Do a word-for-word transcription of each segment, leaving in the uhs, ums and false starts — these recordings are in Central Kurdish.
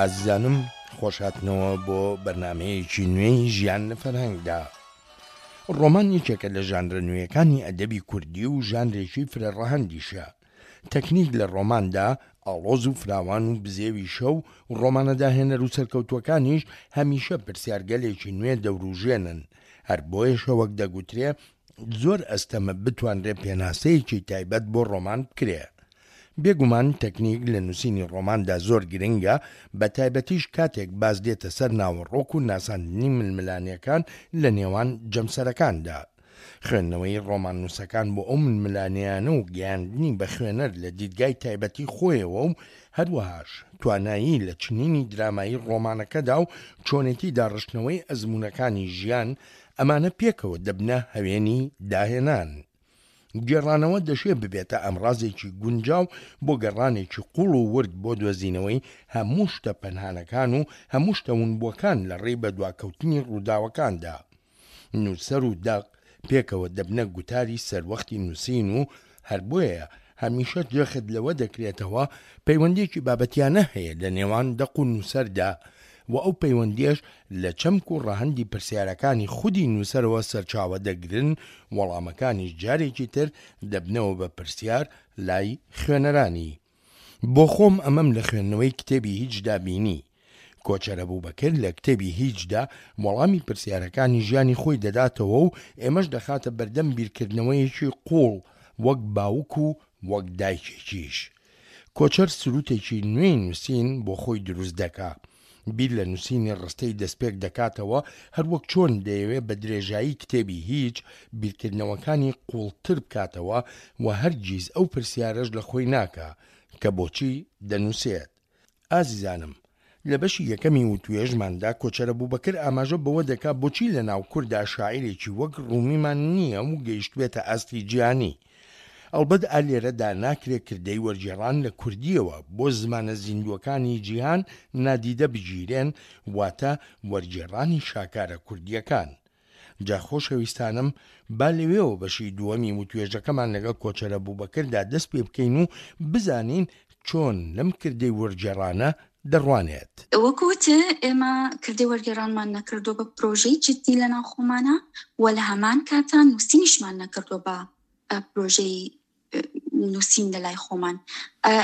ئازیزانم خۆشهاتنەوە بۆ بەرنامەیەکی نوێی ژیان لە فەرهەنگدا. ڕۆمان یەکێکە لە ژانرە نوێیەکانی ئەدەبی کوردی و ژانرێکی فرە ڕەهەندیشە. تەکنیک لە ڕۆماندا ئاڵۆز و فراوان و بزێویشە و ڕۆمانە داهێنەر و سەرکەوتووەکانیش هەمیشە پرسیارگەلێکی نوێ دەوروژێنن. هەر بۆیەشە وەک دەگوترێ زۆر ئەستەمە بتوانرێ پێناسەیەکی تایبەت بۆ ڕۆمان بکرێ. بێگومان تەکنیک لە نووسینی ڕۆماندا زۆر گرنگە، بە تایبەتیش کاتێک باس دێتە سەر ناوەڕۆک و ناساندنی ململانێکان لە نێوان جەمسەرەکاندا. خوێندنەوەی ڕۆماننووسەکان بۆ ئەو ململانێیانە و گەیاندنی بە خوێنەر لە دیدگای تایبەتی خۆیەوە و هەروەهاش توانایی لە چنینی درامایی ڕۆمانەکەدا و چۆنێتی داڕشتنەوەی ئەزموونەکانی ژیان، ئەمانە پێکەوە دەبنە هەوێنی داهێنان. گێڕانەوە دەشێ ببێتە ئامڕازێکی گونجاو بۆ گەڕانێکی قووڵ و ورد بۆ دۆزینەوەی هەموو شتە پەنهانەکان و هەموو شتە ونبووەکان لە ڕێی بەدواکەوتنی ڕووداوەکاندا. نووسەر و دەق پێکەوە دەبنە گوتاری سەروەختی نووسین و هەر بۆیە هەمیشە جەخت لەوە دەکرێتەوە پەیوەندییەکی بابەتیانە هەیە لە نێوان دەق و نووسەردا و ئەو پەیوەندییەش لە چەمک و ڕەهەندی پرسیارەکانی خودی نووسەرەوە سەرچاوە دەگرن، وەڵامەکانیش جارێکی تر دەبنەوە بە پرسیار لای خوێنەرانی. بۆ خۆم ئەمەم لە خوێندنەوەی کتێبی هیچدا بینی. کۆچەر ئەبوبەکر لە کتێبی هیچدا وەڵامی پرسیارەکانی ژیانی خۆی دەداتەوە و ئێمەش دەخاتە بەردەم بیرکردنەوەیەکی قووڵ وەک باوک و وەک دایکێکیش. کۆچەر سروتێکی نوێی نووسین بۆ خۆی دروست دەکا. بیر لە نووسینی ڕستەی دەستپێک دەکاتەوە، هەروەک چۆن دەیەوێ بە درێژایی کتێبی هیچ، بیرکردنەوەکانی قووڵتر بکاتەوە و هەرگیز ئەو پرسیارەش لە خۆی ناکا، کە بۆچی دەنووسێت. ئازیزانم، لە بەشی یەکەمی وتوێژماندا کۆچەر ئەبوبەکر ئاماژە بەوە دەکا بۆچی لە ناو کورددا شاعیرێکی وەک ڕومیمان نییە و گەیشتبێتە ئاستی جیهانی. ئەڵبەت ئا لێرەدا ناکرێ کردەی وەرگێڕان لە کوردییەوە بۆ زمانە زیندووەکانی جیهان نادیدە بگیرێن، واتە وەرگێڕانی شاکارە کوردییەکان. جا خۆشەویستانم با لەوێوە بەشی دووەمی وتوێژەکەمان لەگەڵ کۆچەر ئەبوبەکردا دەست پێ بکەین و بزانین چۆن لەم کردەی وەرگێڕانە دەڕوانێت. وەکو وتێ ئێمە کردەی وەرگێڕانمان نەکردووە بە پرۆژەی جدی لەناو خۆمانە و لە هەمان کاتا نووسینیشمان نەکردووە بە پرۆژەی نووسین لە لای خۆمان.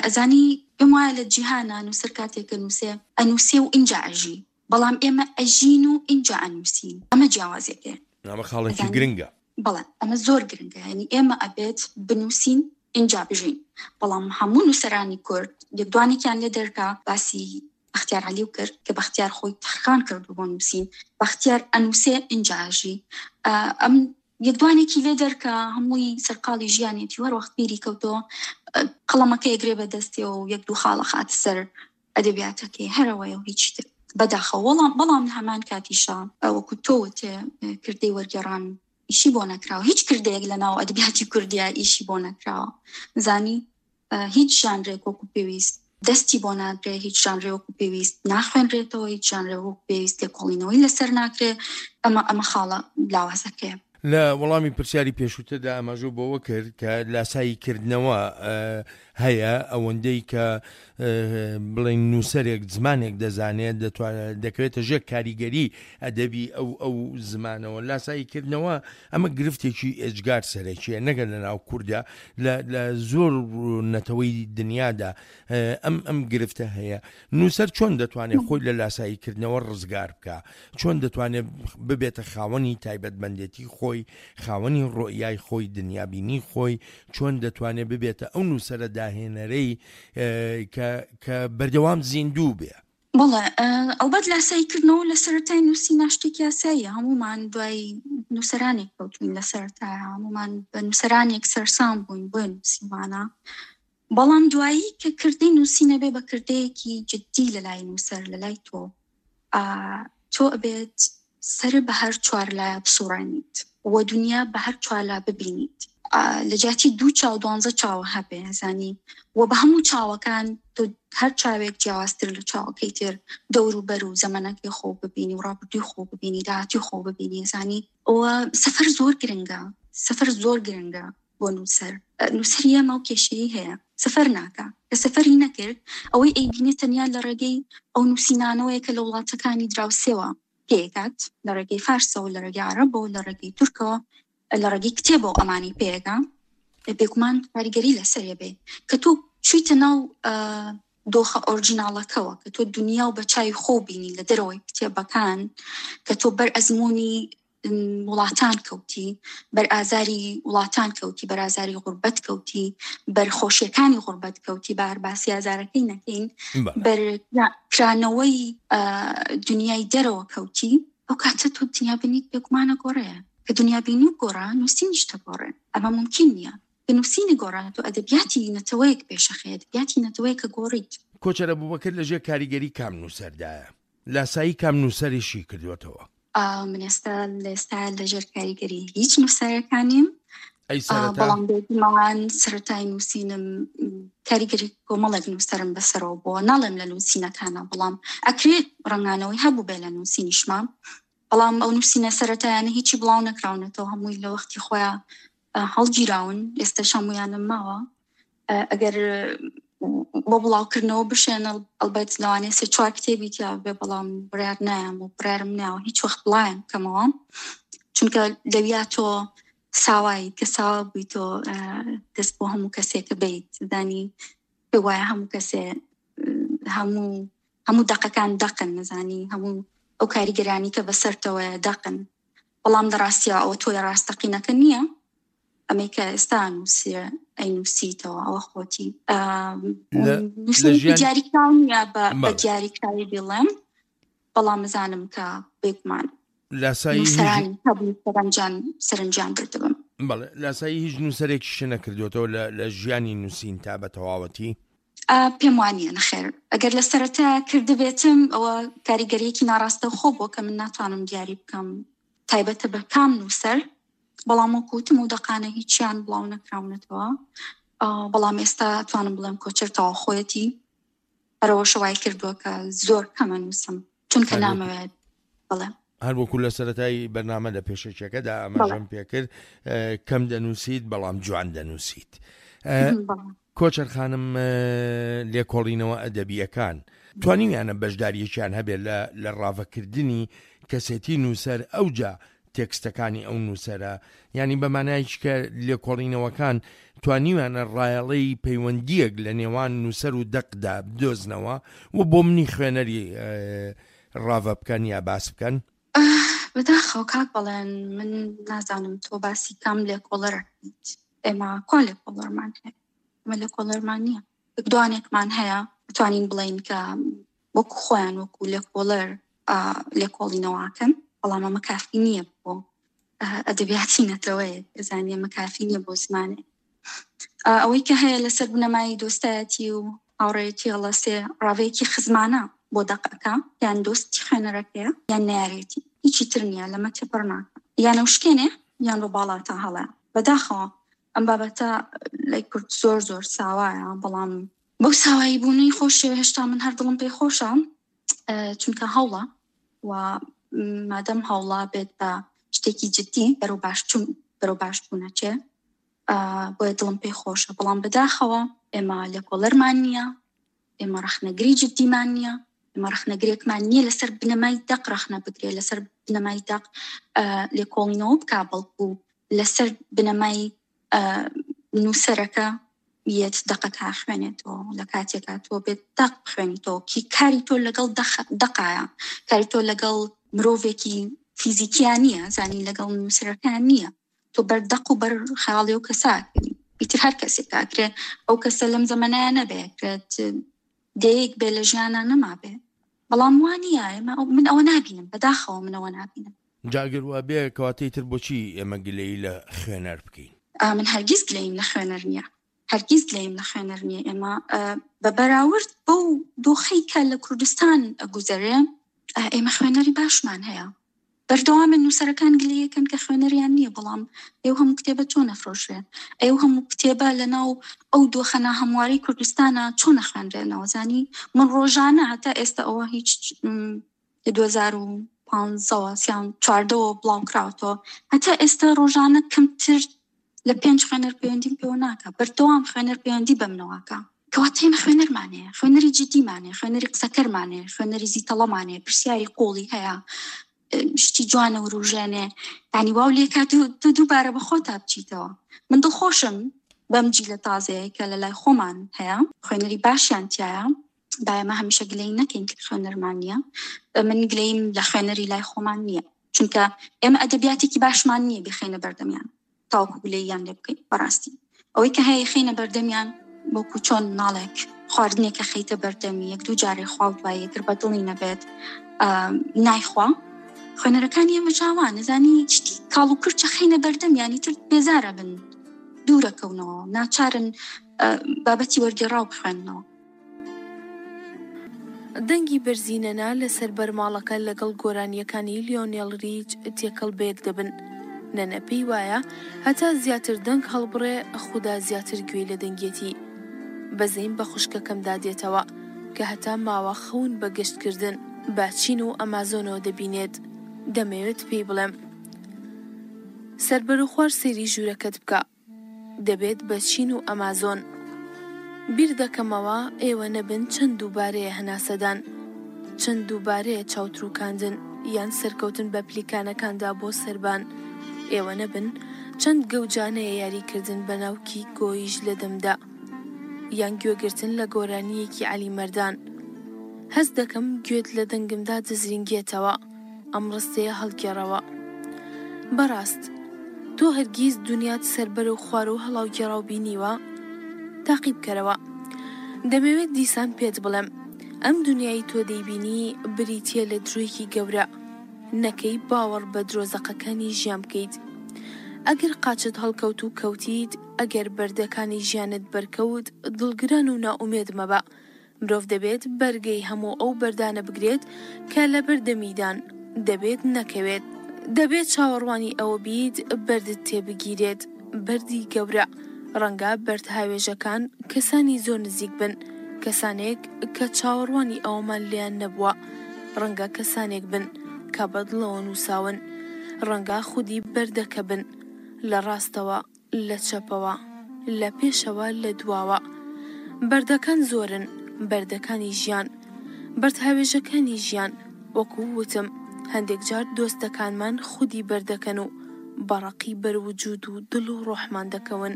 ئەزانی پێم وایە لە جیهانە نووسەر کاتێک کە نووسێ ئەنووسێ و ئینجا ئەژی، بەڵام ئێمە ئەژین و ئینجا ئەنووسین. ئەمە جیاوازێکێ. ئەمە خاڵێکی گرنگە. بەڵێ ئەمە زۆر گرنگە، یعنی ئێمە ئەبێت بنووسین ئینجا بژین. بەڵام هەموو نووسەرانی کورد یەکدوانێکیان لێ دەرکا باسی بەختیار عەلی کرد کە بەختیار خۆی تەرخان کردو بۆ نووسین، بەختیار ئەنووسێ ئینجا ئەژی. ئەم یەکدوانێکی لێ دەرکا هەمووی سەرقاڵی ژیانێتی و هەر وەخت بیری کەوتەوە قەڵەمەکە یەکرێ بە دەستیەوە و یەک دوو خاڵە خاتە سەر ئەدەبیاتەکەی، هەرەوەیە و هیچی تر. بەداخەوە. بەڵام، بەڵام لە هەمان کاتیشا وەکو تۆ وتێ کردەی وەرگێڕان ئیشی بۆ نەکراوە، هیچ کردەیەک لە ناو ئەدەبیاتی کوردیا ئیشی بۆ نەکراوە. زانی هیچ ژانرێک وەکو پێویست دەستی بۆ ناگرێ، هیچ ژانرێ وەکو پێویست ناخوێنرێتەوە، هیچ ژانرێ وەکو پێویست لێکۆڵینەوەی لەسەر ناکرێ. ئەمە، ئەمە خاڵە لاوازەکەیە. لە وەڵامی پرسیاری پێشووتردا ئاماژە بەوە کرد کە لاسایی کردنەوە هەیە، ئەوەندەی کە بڵێن نووسەرێک زمانێک دەزانێت دەتوانێت دەکەوێتە ژێر کاریگەری ئەدەبی ئەو، ئەو زمانەوە. لاسایی کردنەوە ئەمە گرفتێکی ئێجگار سەرەکیە، نەگەر لە ناو کووردا، لە، لە زۆر نەتەوەی دنیادا ئەم، ئەم گرفتە هەیە. نووسەر چۆن دەتوانێت خۆی لە لاسایی کردنەوە ڕزگار بکا؟ چۆن دەتوانێت ببێتە خاوەنی تایبەتمەندێتی خۆی، خاوەنی ڕۆیای خۆی، دنیابینی خۆی؟ چۆن دەتوانێت ببێتە ئەو نووسەرە داهێنەرەی کە، کە بەردەوام زیندوو بێ؟ بەڵێ، ئەڵبەت لاساییکردنەوە لە سەرەتای نووسینا شتێکی یاساییە. هەمومان دوای نووسەرانێک کەوتوین لە سەرەتای، هەمومان بە نووسەرانێک سەرسام بووین بۆیە نووسیمانە. بەڵام دوایی کە کردەی نووسینە بێ بە کردەیەکی جدی لە لای نووسەر، لە لای تۆ، ئا، تۆ ئەبێت سەر بە هەر چوار لایە بسوڕێنیت و دنیا بە هەر چوار لا ببینیت. ئا، لە جیاتی دوو چاو دوانزە چاو هەبێ، زانی و بە هەموو چاوەکان تۆ هەر چاوێک جیاوازتر لە چاوەکەی تر دەور و بەر و زەمەنەکەی خۆ ببینی و ڕابردووی خۆ ببینی، داهاتووی خۆ ببینی، زانی. و سەفەر زۆر گرنگە، سەفەر زۆر گرنگە بۆ نووسەر. نووسەری ئێمە ئەو کێشەیەی هەیە، سەفەر ناکا. کە سەفەری نەکرد، ئەوەی ئەیبینێ تەنیا لە ڕێگەی ئەو نووسینانەوەیە کە لە وڵاتەکانی دراوسێوە پێیەکات، لە ڕێگەی فارسەوە، لە ڕێگەی عەرەبەوە، لە ڕێگەی تورکەوە، لە ڕێگەی کتێبەوە ئەمانەی پێیەکا. بێگومان کاریگەری لەسەرێ بێ. کە تۆ چوویتە ناو دۆخە ئۆرجیناڵەکەوە، کە تۆ دنیا و بە چاوی خۆ بینی لە دەرەوەی کتێبەکان، کە تۆ بەر ئەزمموی وڵاتان کەوتی، بەر ئازاری وڵاتان کەوتی، بەر ئازاری غوربەت کەوتی، بەر خۆشیەکانی غوربەت کەوتی، بە هەر باسی ئازارەکەی نەکەین، بەر کرانەوەی دنیای دەرەوە کەوتی، ئەو کاتە تۆ دنیابینیت بێگومانە گۆڕێ. کە دنیابینی گۆڕا، نووسینیش دەگۆڕێ. ئەمە مومکین نییە. کە نووسینی گۆڕا، تۆ ئەدەبیاتی نەتەوەیەک پێشەخەی، ئەدەبیاتی نەتەوەیەکە گۆڕیت. کۆچەر ئەبوبەکر لەژێر کاریگەری کام نووسەردایە؟ لاسایی کام نووسەریشی کردووەتەوە؟ من ئێستا لە ئێستا لەژێر کاریگەری هیچ نووسەرەکان نیم. ئەی سەرەتا؟ بەڵام بێگومان سەرەتای نووسینم کاریگەری کۆمەڵێک نووسەرم بەسەرەوە بووە. ناڵێم لە نووسینەکانە، بەڵام ئەکرێت ڕەنگانەوەی هەبوو بێ لە نووسینیشما، بەڵام ئەو نووسینە سەرەتایانە هیچی بڵاو نەکراونەتەوە، هەمووی لە وەختی خۆیان هەڵگیراون، ئێستاش هەموویانم ماوە. ئەگەر بۆ بڵاوکردنەوە بشێن، ئەلبەت لەوانەیە سێ چوار کتێبی تیا بێ، بەڵام بڕیار نایەم و بڕیارم ناوە هیچ وەخت بڵاویان بکەمەوە، چونکە لەویا تۆ ساوایی کە ساوا بووی تۆ دەست بۆ هەموو کەسێکە بیت، زانی پێ وایە هەموو کەسێ، هەموو، هەموو دەقەکان دەقن، نزانی هەموو ئەو کاریگەرانی کە بەسەرتەوەیە دەقن، بەڵام لە ڕاستیە ئەوە تۆی ڕاستەقینەکە نییە. ئەمەی کە ئێستا نووسیە ئەی نووسیتەوە ئەوە خۆتی. نووسینێکی دیاریکراو نییە بە دیاریکراوی بڵێم، بەڵام بزانم کە بێگومان لاسایی هیچ نووسەرانی هەبوو سەرنجان، سەرنجیان بردبم. بەڵێ، لاسایی هیچ نووسەرێکیش نەکردوێتەوە لە، لە ژیانی نووسین تا بە تەواوەتی؟ پێم وانییە، نەخێر. ئەگەر لە سەرەتا کردبێتم ئەوە کاریگەریەکی ناڕاستەوخۆ بووە کە من ناتوانم دیاری بکەم تایبەتە بە کام نووسەر، بەڵام وەکو وتم و دەقانە هیچیان بڵاو نەکراونەتەوە. بەڵام ئێستا توانم بڵێم کۆچەر تەواو خۆیەتی، هەرەوەشە وای کردووە کە زۆر کەمە نووسم، چونکە نامەوێت. بەڵێ. هەر وەکو لە سەرەتای بەرنامە لە پێشەکیەکەدا ئاماژەم پێکرد، کەم دەنووسیت بەڵام جوان دەنووسیت. کۆچەر خانم، لێکۆڵینەوە ئەدەبیەکان توانیویانە بەشداریەکیان هەبێت لە ڕاڤەکردنی کەسێتی نووسەر ئەوجا تێکستەکانی ئەو نووسەرە، یعنی بە مانایەکی کە لێکۆڵینەوەکان توانیویانە ڕایەڵەی پەیوەندیەک لە نێوان نووسەر و دەقدا بدۆزنەوە و بۆ منی خوێنەری ڕاڤە بکەن یا باس بکەن؟ بەداخەوە کاک بەڵێن، من نازانم تۆ باسی کام لێکۆڵەرەکەیت. ئێمە کوا لێکۆڵەرمان هەیە؟ ئێمە لێکۆڵەرمان نییە. دوانێکمان هەیە بتوانین بڵێین کە وەکو خۆیان وەکو لێکۆڵەر، لێکۆڵینەوەکەن، بەڵام ئەمە کافی نییە بۆ ئەدەبیاتی نەتەوەیەک، زانی ئەمە کافی نییە بۆ زمانێک. ئەوەی کە هەیە لەسەر بنەمای دۆستایەتی و هاوڕێیەتی هەڵەسێ ڕاوەیەکی خزمانە بۆ دەقەکە، یان دۆستی خوێنەرەکەیە یان نارێتی، هیچی تر نییە، لەمە تێپەڕ ناکە، یان ئەو شکێنێ یان بۆ باڵاتە هەڵەیە. بەداخەوە ئەم بابەتە لای کورد زۆر زۆر ساوایە، بەڵام بەو ساوایی بوونەی خۆشیەوە هێشتا من هەر دڵم پێی خۆشە، چونکە هەوڵە و مادەم هەوڵا بێت بە شتێکی جدی بەرەو باشچوون، بەرەو باشبوونە چێ، بۆیە دڵم پێی خۆشە. بەڵام بەداخەوە ئێمە لێکۆڵەرمان نییە، ئێمە ڕەخنەگری جدیمان نییە، ئێمە ڕەخنەگرێکمان نییە لەسەر بنەمای دەق ڕەخنە بگرێ، لەسەر بنەمای دەق، لێکۆڵینەوە بکا، بەڵکو لەسەر بنەمای، نووسەرەکە یەت دەقەکە خوێنێتەوە. لە کاتێکا تۆ بێت دەق بخوێنیتەوە، کی کاری تۆ لەگەڵ دەقایە، کاری تۆ لەگەڵ مرۆڤێکی فیزیکیان نییە، زانی لەگەڵ نووسەرەکان نییە، تۆ بەر دەق و بەر خەیاڵی ئەو کەساکەنی. ئیتر هەر کەسێک ئەکرێ ئەو کەسە لەم زەمەنایە نەبێ، ئەکرێت دەیەک بێ لە ژیانە نەما بێ، بەڵام وا نییە. ئێمە ئەو-، من ئەوە نابینم، بەداخەوە من ئەوە نابینم. جا ئەگەر وا بێ کەواتەی تر بۆچی ئێمە گلەیی لە خوێنەر بکەین؟ من هەرگیز گلەییم لە خوێنەر نییە، هەرگیز گلەییم لە خوێنەر نییە. ئێمە، بە بەراورد بەو دۆخەی کە لە کوردستان ئەگوزەرێ، ئێمە خوێنەری باشمان هەیە. بەردەوامن نووسەرەکان گلەیەکەن کە خوێنەریان نییە، بەڵام ئێو هەموو کتێبە چۆن ئەفرۆشرێ؟ ئێو هەموو کتێبە لەناو ئەو دۆخە ناهەمواری کوردستانە چۆن ئەخوێنرێنەوە؟ زانی من ڕۆژانە هەتا ئێستا ئەوە هیچ، لە دوو هەزار و پانزەوە سیان چواردەوە بڵاو کراوەتەوە، هەتا ئێستا ڕۆژانە کەمتر لە پێنج خوێنەر پەیوەندیم پێوە ناکا، بەردەوام خوێنەر پەیوەندی بە منەوە ئەکا. کەواتە ئێمە خوێنەرمان هەیە، خوێنەری جدیمان هەیە، خوێنەری قسەکەرمان هەیە، خوێنەری زیتەڵەمان هەیە، پرسیاری قوڵی هەیە، شتی جوانە وروژێنێ، یعنی واو لێکات تۆ دووبارە بە خۆتا بچیتەوە. من دڵخۆشم بەم جیلە تازەیە کە لە لای خۆمان هەیە، خوێنەری باشیان تایە. با ئێمە هەمیشە گلەیی نەکەین کە خوێنەرمان نییە. من گلەییم لە خوێنەری لای خۆمان نییە، چونکە ئێمە ئەدەبیاتێکی باشمان نییە بخەینە بەردەمیان تاوەکو گلەییان لێ بکەین. بەڕاستی ئەوەی کە هەیە خەینە بەردەمیان، وەکو چۆن مناڵێک خواردنێکە خەیتە بەردەمی یەک دوو جارێ خوا و دوای یەکتر بە دڵی نەبێت نایخوا. خوێنەرەکانی ئێمە جاوان نەزانی شتی کاڵ و کورچە خەینە بەردەمیانی تر بێزارە بن، دوورەکەونەوە، ناچارن بابەتی وەرگێڕاو بخوێننەوە. دەنگی بەرزی نەنا لەسەر بەرماڵەکە لەگەڵ گۆرانییەکانی لیۆنێل ریچ تێکەڵ بەیەک دەبن. نەنە پێی وایە هەتا زیاتر دەنگ هەڵبڕێ خودا زیاتر گوێی لە دەنگێتی. بەزەیم بە خوشکەکەمدا دێتەوە کە هەتا ماوە خەون بە گەشتکردن بە چین و ئەمازۆنەوە دەبینێت. دەمەوێت پێی بڵێم سەربەروخوار سەیری ژوورەکەت بکە. دەبێت بە چین و ئەمازۆن. بیر دەکەمەوە ئێوە نەبن چەند دووبارەیە هەناسەدان، چەند دووبارەیە چاوتروکاندن یان سەرکەوتن بە پلیکانەکاندا بۆ سەربان، ئێوە نەبن چەند گەوجانەیە یاریکردن بە ناوکی گۆیژ لە دەمدا یان گوێگرتن لە گۆرانییەکی عەلی مەردان. هەست دەکەم گوێت لە دەنگمدا دەزرینگێتەوە. ئەم ڕستەیە هەڵگێڕەوە. بەڕاست تۆ هەرگیز دنیات سەربەر و خوار و هەڵاوگێڕاو بینیوە؟ تاقی بکەرەوە. دەمەوێت دیسان پێت بڵێم ئەم دنیای تۆ دەیبینی بریتییە لە درۆیەکی گەورە. نەکەی باوەڕ بە درۆزەقەکانی ژیان بکەیت. ئەگەر قاچت هەڵکەوت و کەوتیت، ئەگەر بەردەکانی ژیانت بەرکەوت، دڵگران و نائومێد مەبە. مرۆڤ دەبێت بەرگەی هەموو ئەو بەردانە بگرێت کە لەبەر دەمیدان، دەبێت نەکەوێت. دەبێت چاوەڕوانی ئەوە بیت بەردت تێبگیرێت، بەردی گەورە. ڕەنگە بەردهاوێژەکان کەسانی زۆر نزیک بن، کەسانێک کە چاوەڕوانی ئەوەمان لێیان نەبووە. ڕەنگە کەسانێک بن کە بەدڵەوە نووساون. ڕەنگە خودی بەردەکە بن، لە ڕاستەوە، لە چەپەوە، لە پێشەوە، لە دواوە. بەردەکان زۆرن، بەردەکانی ژیان، بەردهاوێژەکانی ژیان. وەکو وتم هەندێک جار دۆستەکانمان خودی بەردەکەن و بەڕەقی بەروجود و دڵ و ڕۆحمان دەکەون.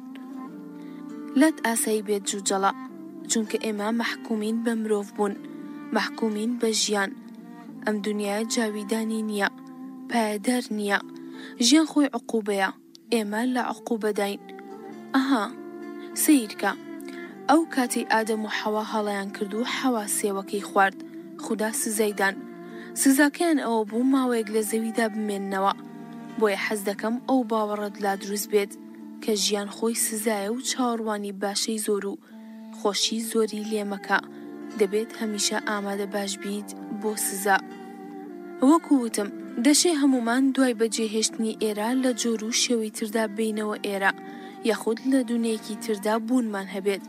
لات ئاسایی بێت جوجەڵە، چونکە ئێمە مەحکومین بە مرۆڤ بوون، مەحکومین بە ژیان. ئەم دنیایە جاویدانی نییە، پایەدار نییە. ژیان خۆی عقوبەیە، ئێمە لە عقوبەداین. ئەها سەیرکە، ئەو کاتەی ئادەم و حەوا هەڵەیان کرد و حەوا سێوەکەی خوارد، خودا سزای دان. سزاکەیان ئەوە بوو ماوەیەک لە زەویدا بمێننەوە. بۆیە حەز دەکەم ئەو باوەڕەت لا دروست بێت کە ژیان خۆی سزایە و چاوەڕوانی باشەی زۆر و خۆشی زۆری لێمەکە. دەبێت هەمیشە ئامادە باش بیت بۆ سزا. وەکو وتم دەشێ هەموومان دوای بەجێهێشتنی ئێرە لە جۆر و شێوەی تردا بینەوە ئێرە، یاخود لە دنیایەکی تردا بوونمان هەبێت.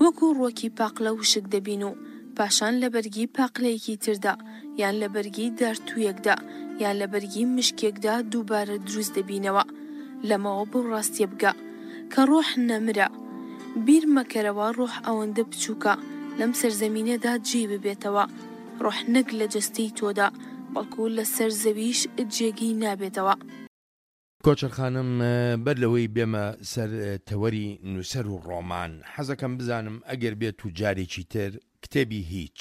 وەکو ڕووەکی پاقلە وشک دەبین و پاشان لە بەرگی پاقلەیەکی تردا یان لە بەرگی دارتوویەکدا یان لە بەرگی مشکێکدا دووبارە دروست دەبینەوە. لەمەوە بەو ڕاستیە بگە کە ڕۆح نەمرە. بیر مەکەرەوە ڕۆح ئەوەندە بچووکە لەم سەرزەمینەدا جێی ببێتەوە. ڕۆح نەک لە جەستەی تۆدا، بەڵکو لەسەر زەویش جێگەی نابێتەوە. کۆچەر خانم، بەر لەوەی بێمە سەر تەوەری نووسەر و ڕۆمان، حەزەکەم بزانم ئەگەر بێت و جارێکی تر کتێبی هیچ،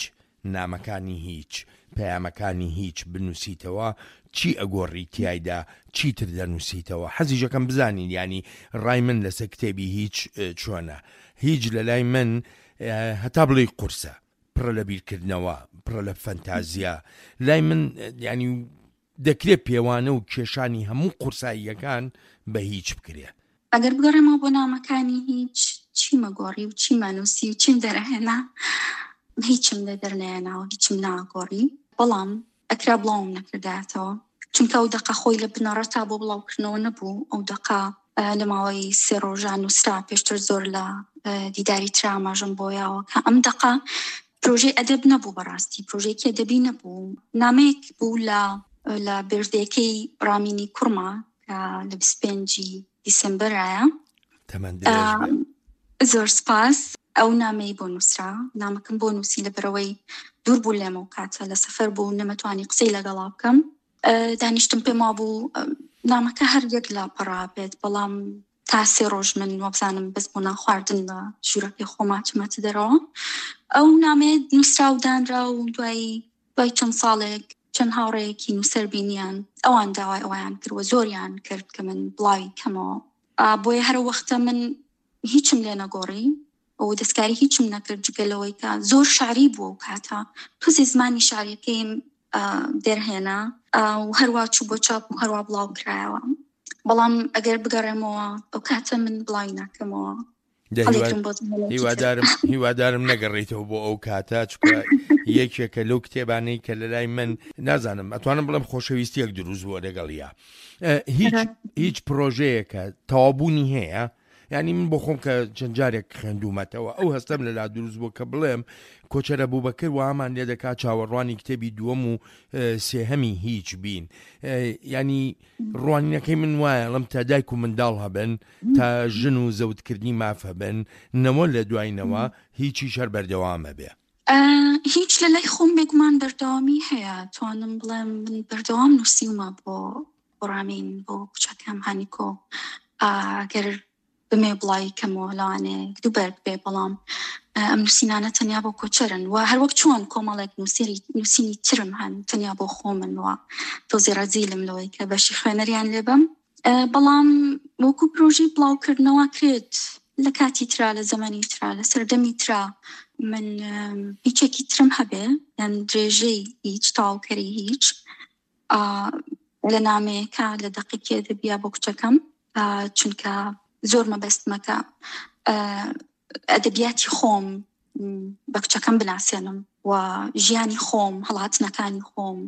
نامەکانی هیچ، پەیامەکانی هیچ بنووسیتەوە، چی ئەگۆڕی تیایدا، چیتر دەنووسیتەوە؟ حەزیشەکەم بزانین یانی ڕای من لەسەر کتێبی هیچ چۆنە. هیچ لە لای من هەتا بڵێی قورسە، پڕە لە بیرکردنەوە، پڕە لە فەنتازیا. لای من ینی دەکرێت پێوانە و کێشانی هەموو قورساییەکان بە هیچ بکرێ. ئەگەر بگەڕێمەوە بۆ نامەکانی هیچ، چیمە گۆڕی و چیمە نووسی و چیم دەرهێنا، هیچم لێ دەرنەهێناوە، هیچم ناگۆڕی. بەڵام ئەکرا بڵاوم نەکردایەتەوە، چونکە ئەو دەقە خۆی لە بنەڕەتا بۆ بڵاوکردنەوە نەبوو. ئەو دەقە لە ماوەی سێ ڕۆژان نووسرا، پێشتر زۆر لە دیداری ترا ئاماژەم بۆ یاوە کە ئەم دەقە پرۆژەی ئەدەب نەبوو، بەڕاستی پرۆژەیەکی ئەدەبی نەبوو، نامەیەک بوو لە لە بێردەکەی ڕامینی کوڕما کە لە بیست و پێنجی دیسمبەرایە. تەمەن درێژ بێ. زۆر سپاس. ئەو نامەی بۆ نووسرا، نامەکەم بۆ نووسی لەبەرەوەی دوور بوو لێمە و کاتە لە سەفەر بوو نەمەتوانی قسەی لەگەڵا بکەم. دانیشتم پێم وابوو نامەکە هەر یەک لاپەڕا بێت، بەڵام تا سێ ڕۆژ من وابزانم بەس بۆ نان خواردن لە ژوورەکەی خۆما چمەتە دەرەوە. ئەو نامەیە نووسرا و دانرا و دوای دوای چەند ساڵێک چەند هاوڕێیەکی نووسەر بینیان، ئەوان داوای ئەویان کرد و زۆریان کرد کە من بڵاوی کەمەوە. بۆیە هەر وەختە من هیچم لێ نەگۆڕی و دەستکاری هیچم نەکرد جگە لەوەی کە زۆر شعری بووە و کاتە تۆزێ زمانی شعریەکەیم دەرهێنا و هەروە چوو بۆ چاپ و هەروە بڵاو کرایەوە. بەڵام ئەگەر بگەڕێمەوە ئەو کاتە من بڵاوی ناکەمەوە. هیوادارم هیوادارم نەگەڕێیتەوە بۆ ئەو کاتە، چونکە یەکێکە لەو کتێبانەی کە لە لای من نازانم ئەتوانم بڵێم خۆشەویستیەک دروست بووە لەگەڵیا. هیچ هیچ پرۆژەیەکە تەوابوونی هەیە، یعنی من بۆ خۆم کە چەند جارێک خوێندوومەتەوە ئەو هەستەم لەلا دروست بوو کە بڵێم کۆچەرە بووبەکر وامان لێ دەکات چاوەڕوانی کتێبی دووەم و سێهەمی هیچ بین. ینی ڕوانینەکەی من وایە ئەڵم تا دایک و منداڵ هەبن، تا ژن و زەوتکردنی ماف هەبن، نەوە لە دوایینەوە هیچیش هەر بەردەوامە بێ. هیچ لە لای خۆم بێگومان بەردەوامی هەیە. توانم بڵێم من بەردەوام نووسیومە بۆ ڕامین، بۆ کچەکەم هانیکۆ. ئەگەر بمێ بڵاوی کەمەوە لەوانەیە دوو بەرگ بێ، بەڵام ئەم نووسینانە تەنیا بۆ کۆچەرن و هەروەک چۆن کۆمەڵێک نووسینی ترم هەن تەنیا بۆ خۆمن و تۆزێ ڕەزیلم لەوەی کە بەشی خوێنەریان لێبەم. بەڵام وەکو پرۆژەی بڵاوکردنەوە کرێت لە کاتی ترا، لە زەمەنی ترا، لە سەردەمی ترا من هیچێکی ترم هەبێ، یان درێژەی هیچ، تەواوکەری هیچ لە نامەیەکە لە دەقێکی ئەدەبیە بۆ کچەکەم، چونکە زۆر مەبەستمەکە ئەدەبیاتی خۆم بە کچەکەم بناسێنم و ژیانی خۆم، هەڵاتنەکانی خۆم،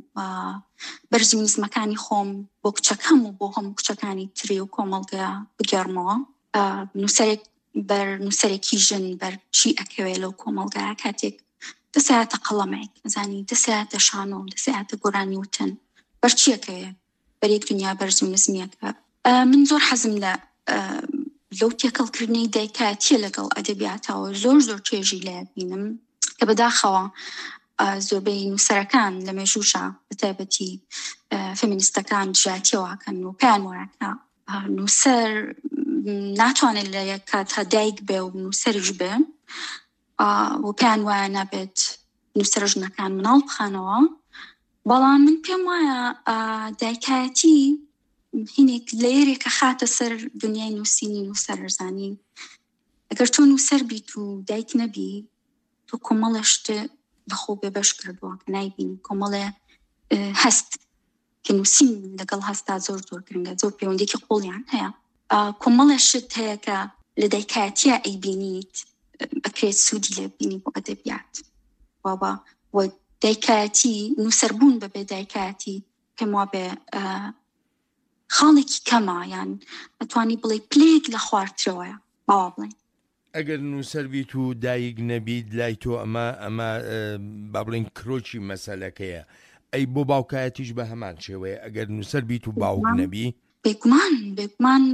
بەرزی و نزمەکانی خۆم بۆ کچەکەم و بۆ هەموو کچەکانی تری و کۆمەڵگە بگێڕمەوە. نووسەرێک بەر نووسەرێکی ژن بەر چی ئەکەوێ لەو کۆمەڵگایە کاتێک دەسایەتە قەڵەمێک، زانی دەسایەتە شانۆ، دەسایەتە گۆرانی وتن، بەر چی ئەکەوێ؟ بەر یەک دنیا بەرز و نزمیەکە. من زۆر حەزم لە لەو تێکەڵکردنەی دایکایەتیە لەگەڵ ئەدەبیاتەوە زۆر زۆر چێژی لێ بینم کە بەداخەوە زۆربەی نووسەرەکان لە مێژووشە بە تایبەتی فێمینیستەکان دژایەتیەوەکەن و پێیان وایە کە نووسەر ناتوانێت لە یەک کاتە دایک بێ و نووسەریش بێ و پێیان وایە نابێت نووسەر ژنەکان مناڵ بخانەوە. بەڵام من پێم وایە دایکایەتی هینێک لەیەرێکە خاتە سەر دنیای نووسینی نووسەرزانی. ئەگەر تۆ نووسەر بیت و دایک نەبی، تۆ کۆمەڵێ شت لە خۆ بێبەش کردووە کە نایبینی، کۆمەڵێ هەست کە نووسین لەگەڵ هەستا زۆر زۆر گرنگە، زۆر پەیوەندێکی قوڵیان هەیە. کۆمەڵێ شت هەیە کە لە دایکایەتیە ئەیبینیت، ئەکرێت سوودی لێ بینی بۆ ئەدەبیات. بابا و دایکایەتی نووسەربوون بەبێ دایکایەتی پێم وابێ خاڵێکی کەمە، یان ئەتوانی بڵێ پلەیەک لە خوارترەوەیە باوا بڵێ. ئەگەر نووسەر بیت و دایک نەبیت لای تۆ ئەمە ئەمە با بڵێین کرۆکی مەسەلەکەیە. ئەی بۆ باوکایەتیش بە هەمان شێوەیە ئەگەر نووسەر بیت و باوک نەبی؟ بێگومان بێگومان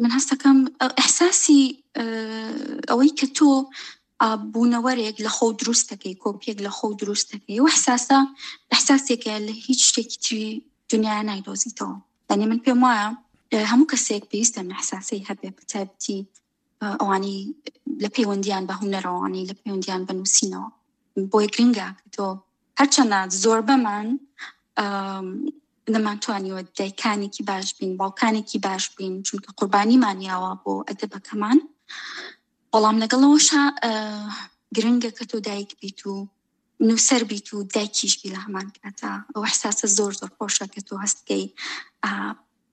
من هەستەکەم ئیحساسی ئەوەی کە تۆ بوونەوەرێک لە خۆ دروست دەکەی، کۆپیەک لە خۆ دروست دەکەی، و ئیحساسە ئیحساسێکە لە هیچ شتێکی تری دنیا نایدۆزیتەوە. یعنی من پێم وایە هەموو کەسێک پێویستە ئەم ئیحساسەی هەبێ، بە تایبەتی ئەوانەی لە پەیوەندیان بە هونەرەوە، لە پەیوەندیان بە نووسینەوە. بۆیە گرنگە کە تۆ هەرچەندە زۆربەمان نەمانتوانیوە دایکانێکی باش بین، باوکانێکی باش بین، چونکە قوربانیمان یاوە بۆ ئەدەبەکەمان، بەڵام لەگەڵەوەشا گرنگە کە تۆ دایک بیت و نووسەر بیت و دایکیش بی لە هەمان کاتا. ئەو ئیحساسە زۆر زۆر خۆشە کە تۆ هەستکەی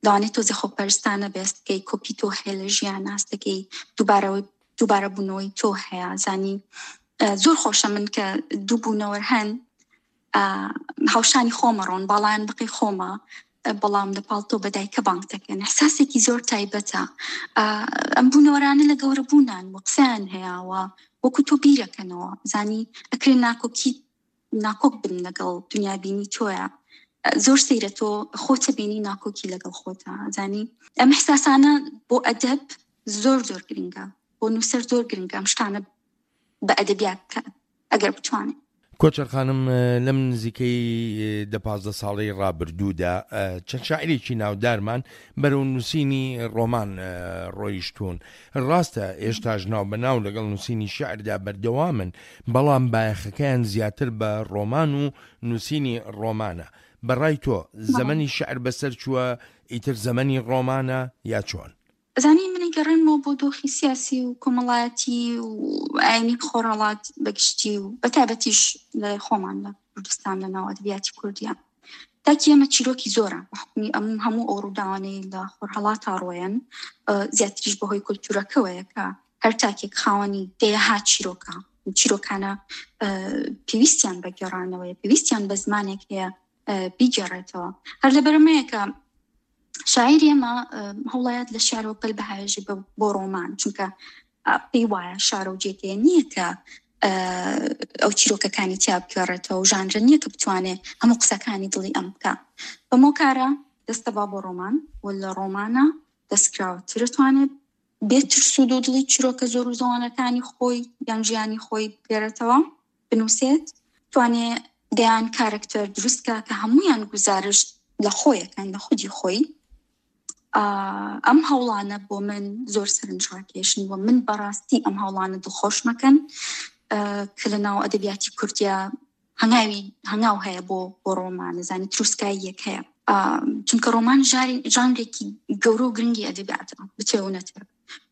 لەوانەیە تۆزێ خۆپەرستانە بێ، هەستکەی کۆپی تۆ هەیە لە ژیان، هەستەکەی دووبارە بوونەوەی تۆ هەیە. زانی زۆر خۆشە من کە دوو بوونەوەر هەن هاوشانی خۆمە ڕۆن، باڵایان بقی خۆمە، بەڵام لە پاڵ تۆ بە دایکە بانگ دەکەن. ئیحساسێکی زۆر تایبەتە. ئەم بوونەوەرانە لە گەورە بوونان و قسەیان هەیە و وەکو تۆ بیرەکەنەوە. زانی ئەکرێ ناکۆکی ناکۆک بن لەگەڵ دنیابینی تۆیە. زۆر سەیرە تۆ خۆتە بینی ناکۆکی لەگەڵ خۆتە. زانی ئەم ئیحساسانە بۆ ئەدەب زۆر زۆر گرنگە بۆ نووسەر، زۆر گرنگە ئەم شتانە بە ئەدەبیات بکات ئەگەر بتوانێت. کۆچەر خانم، لەم نزیکەی دە پازدە ساڵەی ڕابردوودا چەند شاعیرێکی ناودارمان بەرەو نووسینی ڕۆمان ڕۆیشتوون. ڕاستە ئێشتاش ناو بە ناو لەگەڵ نووسینی شعردا بەردەوامن، بەڵام بایەخەکەیان زیاتر بە ڕۆمان و نووسینی ڕۆمانە. بەڕای تۆ زەمەنی شعر بەسەر چووە، ئیتر زەمەنی ڕۆمانە یا چۆن؟ ئەزانی من ئەگەڕێمەوە بۆ دۆخی سیاسی و کۆمەڵایەتی و ئاینی خۆرهەڵات بەگشتی و بەتایبەتیش لە خۆمان لە کوردستان لە ناو ئەدەبیاتی کوردیە. تاکی ئێمە چیرۆکی زۆرە بە حوکمی ئەم هەموو ئەو ڕووداوانەی لە خۆرهەڵاتا ڕۆیەن، زیاتریش بەهۆی کولتوورەکەوەیە کە هەر تاکێک خاوەنی دەیەها چیرۆکە. چیرۆکانە پێویستیان بە گێڕانەوەیە، پێویستیان بە زمانێک هەیە بیگێڕێتەوە. هەر لەبەرەمەیە کە شاعیر ئێمە هەوڵایەت لە شعرەوە پەل بهاوێژێ بۆ ڕۆمان، چونکە پێی وایە شعر و جێگەیە نییە کە ئەو چیرۆکەکانی تیا بگێڕێتەوە و ژانرە نییە کە بتوانێ هەموو قسەکانی دڵی ئەم بکە. بەمەو کارە دەستە با بۆ ڕۆمان و لە ڕۆمانە دەستکراوەتر توانێت بێ ترس و دوودڵی چیرۆکە زۆر و زەوانەکانی خۆی یان ژیانی خۆی بگێڕێتەوە، بنووسێت، توانێ دەیان کارکتەر دروست کە کە هەمویان گوزارشت لە خۆیەکەن، لە خودی خۆی. ئەم هەوڵانە بۆ من زۆر سەرنجڕاکێشن و من بەڕاستی ئەم هەوڵانە دڵخۆش مەکەن کە لە ناو ئەدەبیاتی کوردیا هەنگاوی هەنگاو هەیە بۆ بۆ ڕۆمان، زانی تروسکاییەک هەیە، چونکە ڕۆمان ژانرێکی گەورە و گرنگی ئەدەبیاتە، بچێ و نەچێ.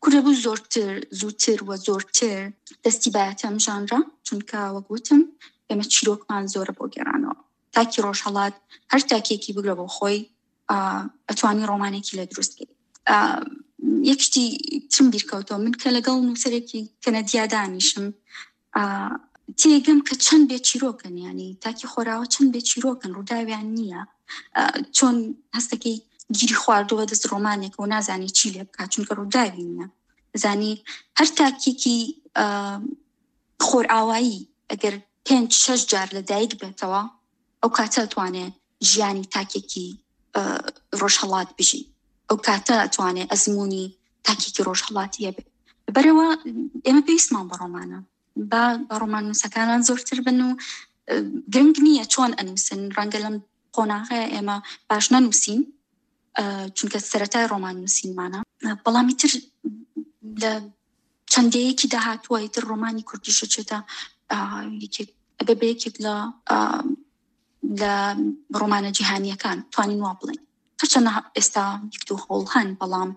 کوردە بوو زۆرتر زووتر و زۆرتر دەستی بایەتە ئەم ژانرە، چونکە وەک وتم ئێمە چیرۆکمان زۆرە بۆ گێڕانەوە. تاکی ڕۆژهەڵات هەر تاکێکی بگرە بۆ خۆی ئەتوانی ڕۆمانێکی لە دروست بکەیت. یەک شتی ترم بیرکەوتەوە، من کە لەگەڵ نووسەرێکی کەنەدیا دانیشم تێگەم کە چەند بێ چیرۆکن، ینی تاکی خۆراوە چەند بێ چیرۆکن، ڕووداویان نییە. چۆن هەستەکەی گیری خواردووە دەست ڕۆمانێک و نازانی چی لێ بکات چونکە ڕووداوی نییە. زانی هەر تاکێکی خۆرئاوایی ئەگەر پێنج شەش جار لە دایک بێتەوە ئەو کاتە توانێ ژیانی تاکێکی ڕۆژهەڵات بژی، ئەو کاتە توانێ ئەزمموی تاکێکی ڕۆژهەڵاتی هەبێت. بەرەوە ئێمە پێویستمان بە ڕۆمانە، با بە ڕۆمان نووسەکانمان زۆرتر بن و گرنگ نییە چۆن ئەنووسن. ڕەنگە لەم قۆناغەیە ئێمە باش نەنووسین چونکە سەرەتای ڕۆمان نووسینمانە، بەڵام ئیتر لە چەندەیەکی داهاتووە ئیتر ڕۆمانی کوردیشە چێتە یەکێک ئەبێ بە یەکێک لە لە ڕۆمانە جیهانیەکان، توانین وا بڵێن. هەرچەندە ئێستا یەک دوو هەوڵ هەن بەڵام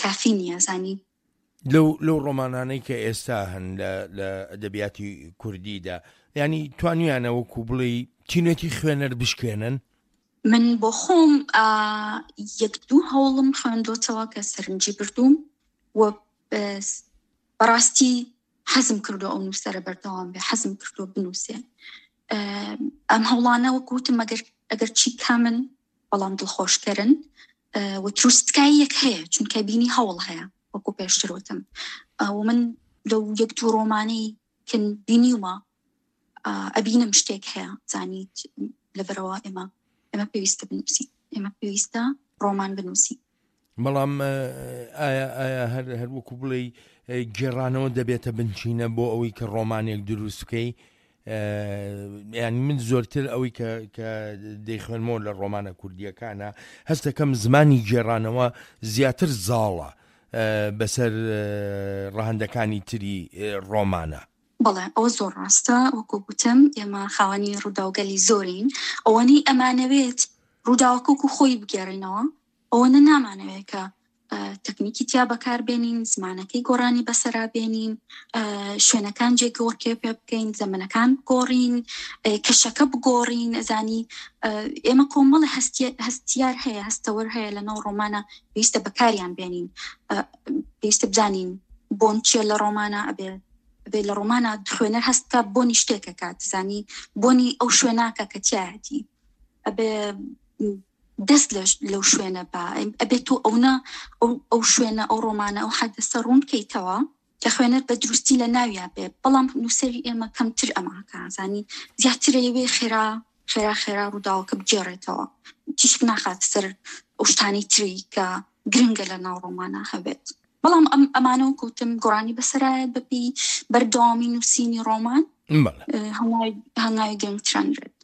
کافی نییە. زانی لەو لەو ڕۆمانانەی کە ئێستا هەن لە ئەدەبیاتی کوردیدا، ینی توانیانە وەکو بڵێ تینێتی خوێنەر بشکێنن؟ من بۆ خۆم یەک دوو هەوڵم خوێندۆتەوە کە سەرنجی بردووم و بەڕاستی حەزم کردو ئەو نووسەرە بەردەوام بێ، حەزم کردو بنووسێ. ئەم هەوڵانە وەکو وتم ئەگەر ئەگەر چی کامن بەڵام دڵخۆشکەرن و تروسکاییەک هەیە، چونکە بینی هەوڵ هەیە وەکو پێشتر وتم. و من لەو یەک دوو ڕۆمانەی کە بینیومە ئەبینم شتێک هەیە، زانیت لەبەرەوە ئێمە ئێمە پێویستە بنووسین، ئێمە پێویستە ڕۆمان بنووسین. بەڵام ئایا ئایا هەر هەر وەکو بڵێ گێڕانەوە دەبێتە بنچینە بۆ ئەوەی کە ڕۆمانێک دروست بکەی؟ یعنی من زۆرتر ئەوەی کە کە دەیخوێنمەوە لە ڕۆمانە کوردیەکانە هەستەکەم زمانی گێڕانەوە زیاتر زاڵە بەسەر ڕەهەندەکانی تری ڕۆمانە. بەڵێ ئەوە زۆر ڕاستە. وەکو گوتم ئێمە خاوەنی ڕووداوگەلی زۆرین، ئەوەنەی ئەمانەوێت ڕووداوەکە وەکو خۆی بگێڕینەوە، ئەوەنە نامانەوێت کە تەکنیکی تیا بەکاربێنین، زمانەکەی گۆڕانی بەسەرا بێنین، شوێنەکان جێگۆڕکێ پێ بکەین، زەمەنەکان بگۆڕین، کەشەکە بگۆڕین. ئەزانی ئێمە کۆمەڵە هەستیار هەیە، هەستەوەر هەیە لە ناو ڕۆمانە، پێویستە بەکاریان بێنین، پێویستە بزانین بۆن چییە لە ڕۆمانە، ئەبێ ئەبێ لە ڕۆمانە خوێنەر هەست بکات بۆنی شتێکە کات، زانی بۆنی ئەو شوێناکە کە تیایەتی، ئەبێ دەست لەو شوێنە با، ئەبێت تۆ ئەونا ئەو شوێنە ئەو ڕۆمانە ئەو حەدەسە ڕوون بکەیتەوە کە خوێنەر بە دروستی لە ناویا بێ. بەڵام نووسەری ئێمە کەمتر ئەماکە، زانی زیاتر ئەیەوێ خێرا خێرا خێرا ڕووداوەکە بگێڕێتەوە، تیشک ناخات سەر ئەو شتانەی تری کە گرنگە لە ناو ڕۆمانە هەبێت. بەڵام ئەم ئەمانە وەکوتم گۆڕانی بەسەرایەت بەپێی بەردەوامی نووسینی ڕۆمان هەنگاوی گرنگترانرێت.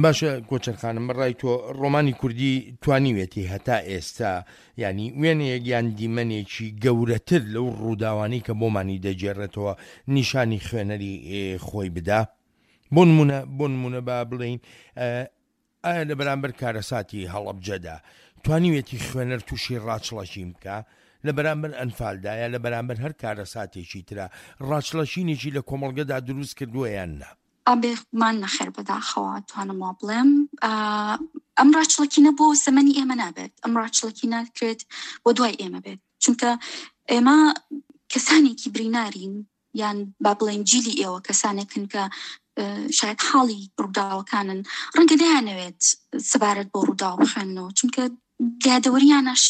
باشە کۆچەر خانم، بەڕای تۆ ڕۆمانی کوردی توانیوێتی هەتا ئێستا ینی وێنەیەک یان دیمەنێکی گەورەتر لەو ڕووداوانەی کە بۆمانی دەگێڕێتەوە نیشانی خوێنەری خۆی بدا؟ بۆ نمونە بۆ نمونە با بڵێین ئایا لە بەرامبەر کارەساتی هەڵەبجەدا توانیوێتی خوێنەر تووشی ڕاچڵەکین بکە؟ لە بەرامبەر ئەنفالدا یا لە بەرامبەر هەر کارەساتێکی ترا ڕاچڵەکینێکی لە کۆمەڵگەدا دروست کردووە یان نا؟ بێگومان نەخێر، بەداخەوە توانم وا بڵێم. ئەم ڕاچڵەکینە بۆ زەمەنی ئێمە نابێت، ئەم ڕاچڵەکی ناکرێت بۆ دوای ئێمە بێت، چونکە ئێمە کەسانێکی برینارین، یان با بڵێن جیلی ئێوە کەسانێکن کە شاید حاڵی ڕووداوەکانن، ڕەنگە نەیانەوێت سەبارەت بۆ ڕووداو بخوێننەوە، چونکە یادەوەریانەش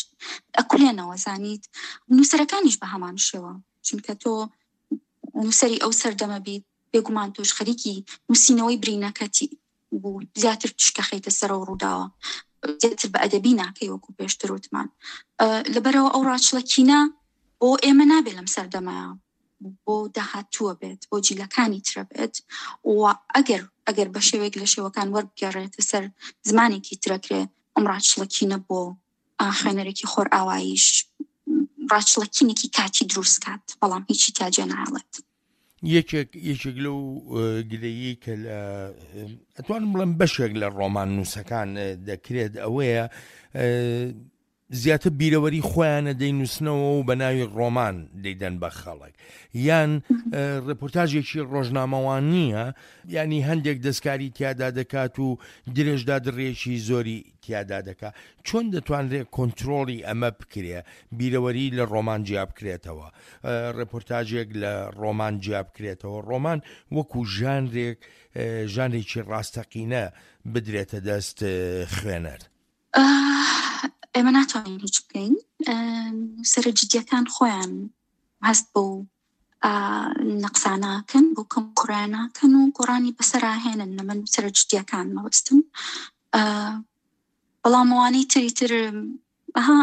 ئەکولێنەوە زانیت. نووسەرەکانیش بە هەمان شێوە، چونکە تۆ نووسەری ئەو سەردەمە بیت، بێگومان تۆش خەریکی نووسینەوەی برینەکەتی بوو، زیاتر تشکە خەیتە سەرەوە ڕووداوە، زیاتر بە ئەدەبی ناکەی وەکو پێشتر وتمان. لەبەرەوە ئەو ڕاچڵەکینە بۆ ئێمە نابێت لەم سەردەمەیە، بۆ داهاتووە بێت، بۆ جیلەکانی ترە بێت. و ئەگەر ئەگەر بە شێوەیەک لە شێوەکان وەربگەڕێتە سەر زمانێکی ترەکرێ، ئەم ڕاچڵەکینە بۆ خوێنەرێکی خۆرئاواییش ڕاچڵەکینێکی کاتی دروست کات، بەڵام هیچی تیا جێ ناهێڵێت. یەکێک یەکێک لەو گلەیی کە لە ئەتوانم بڵێم بەشێک لە ڕۆمان نووسەکان دەکرێت ئەوەیە زیاتر بیرەوەری خۆیانە دەینووسنەوە و بە ناوی ڕۆمان دەیدەن بە خەڵک، یان ڕێپۆرتاژێکی ڕۆژنامەوان نییە، ینی هەندێک دەستکاری تیادا دەکات و درێژدا دڕێکی زۆری تیادا دەکات. چۆن دەتوانرێت کۆنترۆڵی ئەمە بکرێ، بیرەوەری لە ڕۆمان جیا بکرێتەوە، ڕێپۆرتاژێک لە ڕۆمان جیا بکرێتەوە، ڕۆمان وەکو ژانرێک ژانرێکی ڕاستەقینە بدرێتە دەست خوێنەر؟ ئێمە ناتوانین هیچ بکەین. سەرە جدیەکان خۆیان هەست بۆ نەقساناکەن، بۆ کەم کوڕیاناکەن و گۆڕانی بەسەراهێنن. لە من سەرە جدیەکان مەبەستم، بەڵام ئەوانەی تری تر ئەها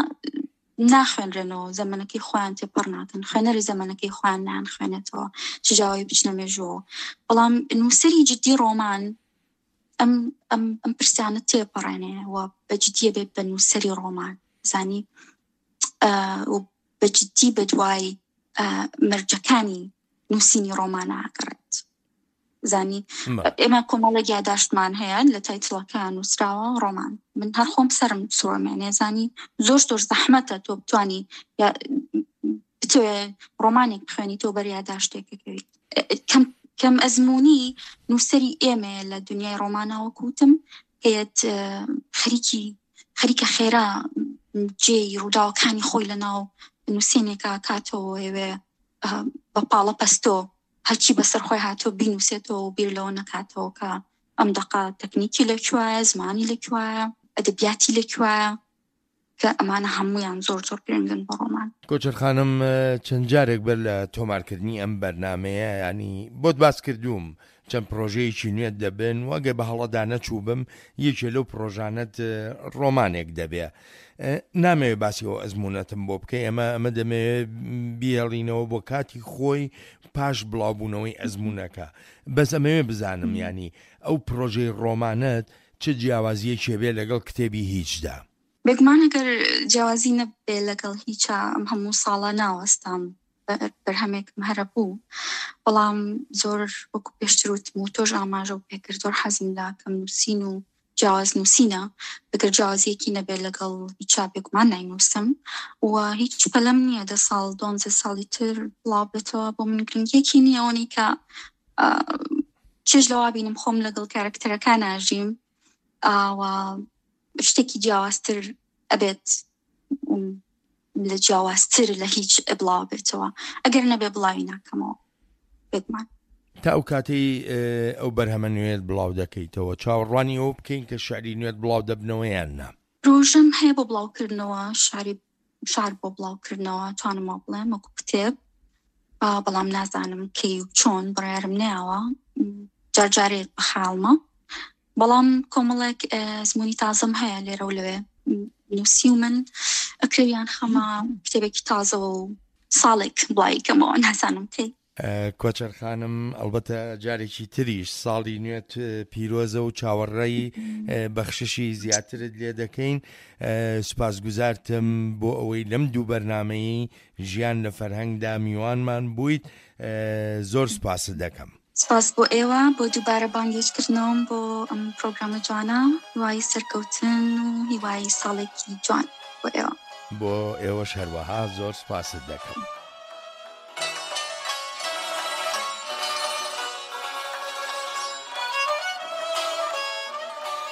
ناخوێنرێنەوە، زەمەنەکەی خۆیان تێپەڕ ناکەن، خوێنەری زەمەنەکەی خۆیان نان خوێنێتەوە، چ جاوای بچنە مێژووەوە. بەڵام نووسەری جدی ڕۆمان ئەم ئەم ئەم پرسیانە تێپەڕێنێ و بە جدیە بێت بە نووسەری ڕۆمان زانی، و بە جدی بە دوای مەرجەکانی نووسینی ڕۆمان ئاگڕێت زانی. ئێمە کۆمەڵێک یاداشتمان هەیە لە تایتڵەکە نووسراوە ڕۆمان، من هەر خۆم سەرم سوڕمێنێ زانی. زۆر زۆر زەحمەتە تۆ بتوانی بتوێ ڕۆمانێک بخوێنی تۆ بەر یاداشتێکەکەویت. کەم کەم ئەزمموی نووسەری ئێمە لە دنیای ڕۆمانەوە کوتم هەیەت خەریکی خەریکە خێرا جێی ڕووداوەکانی خۆی لە ناو نووسینێکا کاتەوە ئێوێ بە پاڵە پەستۆ هەرچی بەسەر خۆی هاتۆ بینووسێتەوە و بیر لەوە نەکاتەوە کە ئەم دەقا تەکنیکی لەکوایە، زمانی لەکوایە، ئەدەبیاتی لەکوایە، کە ئەمانە هەمویان زۆر زۆر گرنگن بۆ ڕۆمان. کۆچەر خانم، چەند جارێک بەر لە تۆمارکردنی ئەم بەرنمەیە ینی بۆت باس کردووم چەند پرۆژەیەکی نوێت دەبن و ئەگەر بە هەڵەدا نەچوو بم یەکێ لەو پرۆژانەت ڕۆمانێک دەبێ. نامەوێت باسی ئەو ئەزمونەتم بۆ بکەی، ئەمە ئەمە دەمەوێت بیهێڵینەوە بۆ کاتی خۆی پاش بڵاوبوونەوەی ئەزمونەکە. بەس ئەمەوێ بزانم ینی ئەو پرۆژەی ڕۆمانەت چ جیاوازیەکێ بێ لەگەڵ کتێبی هیچدا؟ بێگومان ئەگەر جیاوازی نەبێ لەگەڵ هیچا ئەم هەموو ساڵە ناوەستام، بەرهەمێکم هەرە بوو. بەڵام زۆر وەکو پێشتر وتم و تۆش ئاماژە و پێکرد، زۆر حەزم لە کەم نووسین و جیاواز نووسینە. ئەگەر جیاوازیەکی نەبێت لەگەڵ هیچا بێگومان ناینووسم و هیچ پەلەم نییە دە ساڵ دوانزە ساڵی تر بڵاو بێتەوە. بۆ من گرنگیەکی نییە ئەوەی کە چێژ لەوا بینم خۆم لەگەڵ کارکتەرەکان ئاژیم و شتێکی جیاوازتر ئەبێت لە جیاوازتر لە هیچ بڵاو بێتەوە. ئەگەر نەبێ بڵاوی ناکەمەوە بێگومان. تا ئەو کاتەی ئەو بەرهەمە نوێت بڵاو دەکەیتەوە چاوەڕوانی ئەوە بکەین کە شعری نوێت بڵاو دەبنەوە یان نا؟ ڕۆژم هەیە بۆ بڵاوکردنەوە، شعری شعر بۆ بڵاوکردنەوە توانم وا بڵێم وەکو کتێب، بەڵام نازانم کەی و چۆن بڕیارم نەیاوە، جارجارێک بە خەیاڵمە. بەڵام کۆمەڵێک ئەزمموی تازەم هەیە لێرە و لەوێ نووسی و من ئەکرێیان خەمە کتێبێکی تازەوە و ساڵێک بڵاوی کەمەوە، نازانم کەی. کۆچەر خانم، ئەڵبەتە جارێکی تریش ساڵی نوێت پیرۆزە و چاوەڕێی بەخششی زیاترت لێ دەکەین. سوپاسگوزارتم بۆ ئەوەی لەم دوو بەرنامەیەی ژیان لە فەرهەنگدا میوانمان بوویت، زۆر سوپاست دەکەم. سپاس بۆ ئێوە بۆ دووبارە بانگهێشتکردنەوەم بۆ ئەم پرۆگرامە جوانە، هیوای سەرکەوتن و هیوای ساڵێکی جوان بۆ ئێوە. بۆ ئێوەش هەروەها زۆر سپاست دەکەم.